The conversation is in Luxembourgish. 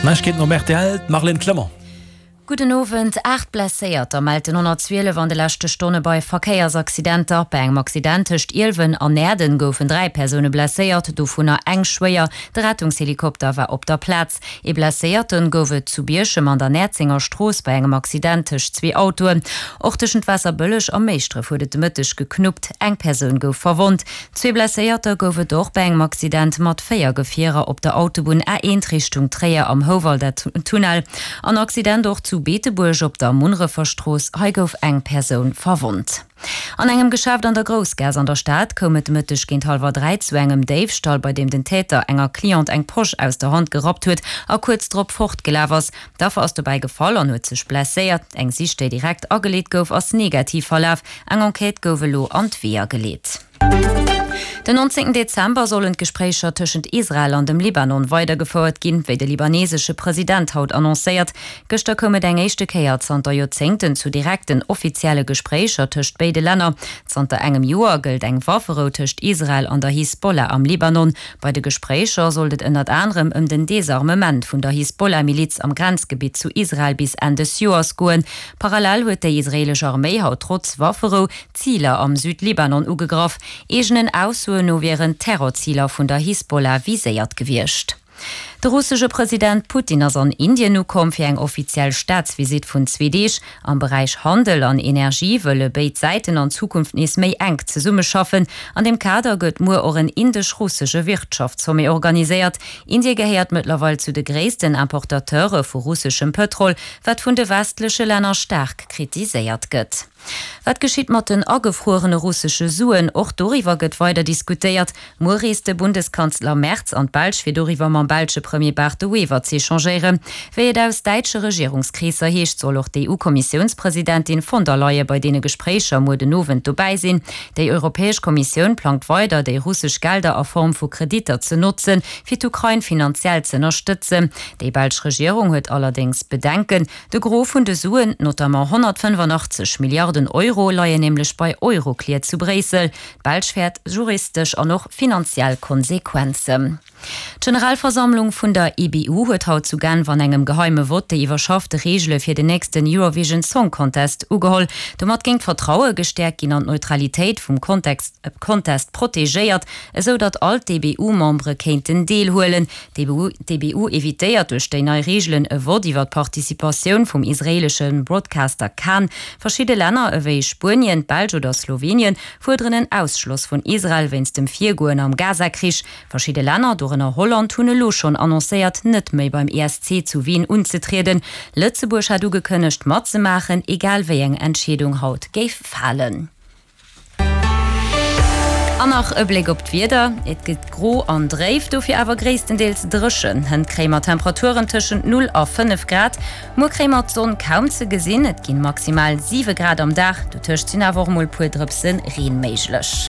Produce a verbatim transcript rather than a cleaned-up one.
Neiegkeeten um rtl, d'Marlène Clement. Gudden Owend, Aacht Blesséierter mellt den honnertzwielef an de leschte Stonne bei Verkéiersaccidenter. Bei engem Accident tëscht Ielwen an Näerden goufen dräi Persoune blesséiert, dovunner eng schwéier. De Rettungshelikopter war op der Plaz. Ee Blesséierte gouf et zu Bierchem an der Näerzenger Strooss bei engem Accident tëscht zwee Autoen. Och tëschent Waasserbëlleg a Méischdref huet et de Mëtteg geknuppt, eng Persoun gouf verwonnt. Zwee Blesséierter gouf et och bei engem Accident mat véier Gefierer op der Autobunn A eent Richtung Tréier am Houwalder Tunnel. An Accident och zu Beetebuerg op der Munnerefer Strooss, hei gouf eng Persoun verwonnt. An engem Geschäft an der Groussgaass an der Stad koum et de Mëtteg géint hallwer dräi zu engem Déifstall, bei deem den Täter enger Cliente eng Posch aus der Hand gerappt huet a kuerz drop fortgelaf ass. D'Affer ass dobäi gefall an huet sech blesséiert. Eng Sich, déi direkt ageleet gouf, ass negativ verlaf. Eng Enquête gouf elo an d'Weeër geleet. Den nonzéngten Dezember sollen d'Gespréicher tëschent Israel an dem Libanon weidergefouert ginn, wéi de libanesesche President haut annoncéiert. Gëschter koum et eng éischte Kéier zanter Joerzéngten zu direkten offizielle Gespréicher tëscht béide Länner. Zanter engem Joer gëllt eng Wafferou tëscht Israel an der Hisbollah am Libanon. Bei de Gespréicher sollt et ënnert anerem ëm den Desarmement vun der Hisbollah-Miliz am Grenzgebitt zu Israel bis Enn des Joers goen. Parallel huet déi israeelesch Arméi haut trotz Wafferou Ziler am Südlibanon ugegraff. Eegenen Aussoen no wieren Terrorziler vun der Hisbollah viséiert gewiescht. De russesche President Putin ass an Indien ukomm fir eng offiziell Staatsvisitt vun zwee Deeg. Am Beräich Handel an Energie wëlle béid Säiten an Zukunft nees méi enk zesummeschaffen. An deem Kader gëtt muer och en indesch-russesche Wirtschaftssommet organiséiert. Indie gehéiert mëttlerweil zu de gréissten Importateure vu russeschem Pëtrol, wat vun de westleche Länner staark kritiséiert gëtt. Wat geschitt mat den agefruerene russesche Suen? Och doriwwer gëtt weider diskutéiert. Muer reest de Bundeskanzler Merz an d'Belsch fir doriwwer mam belsche Premier Bart De Wever z'échangéieren. Wéi et aus däitsche Regierungskreesser heescht, soll och d'EU-Kommissiounspresidentin von der Leyen bei deene Gespréicher muer den Owend dobäi sinn. Déi Europäesch Kommissioun plangt weider, déi russesch Gelder a Form vu Kreditter ze notzen, fir d'Ukrain finanziell z'ënnerstëtzen. Déi belsch Regierung huet allerdéngs Bedenken. De Gros vun de Suen, notamment honnertfënnefanachtzeg Milliarden Euro, leien nämlech bei Euroclear zu Bréissel. D'Belsch fäert juristesch an och finanziell Konsequenzen. D'Generalversammlung vun der E B U huet haut zu Genf an engem geheime Vott déi iwwerschaffte Reegele fir den nächsten Eurovision Song Contest ugeholl. Domat géing d'Vertraue gestäerkt ginn an d'Neutralitéit vum Contest protegéiert, esou datt all d'E B U-Membere kéinten deelhuelen. D'E B U evitéiert duerch déi nei Reegelen e Vott iwwer d'Participatioun vum israeelesche Broadcaster Kan. Verschidde Länner ewéi Spuenien, d'Belsch oder Slowenien fuerderen en Ausschloss vun Israel wéinst dem Virgoen am Gaza-Krich. Verschidde Länner, dorënner Holland, hunn elo schonn annoncéiert, net méi beim E S C zu Wien unzetrieden. Lëtzebuerg hat ugekënnegt, matzemaachen, egal wéi eng Entscheedung haut géif falen. An nach e Bléck op d'Wieder, Et gëtt gro an dréif, dofir awer gréisstendeels dréchen. Hënt kréie mer Temperaturen tëschent null a fënnef Grad. Muer kréie mer d'Sonn kaum ze gesinn, et ginn maximal siwe Grad am Dag, dotëscht sinn awer och mol puer Drëpse Reen méiglech.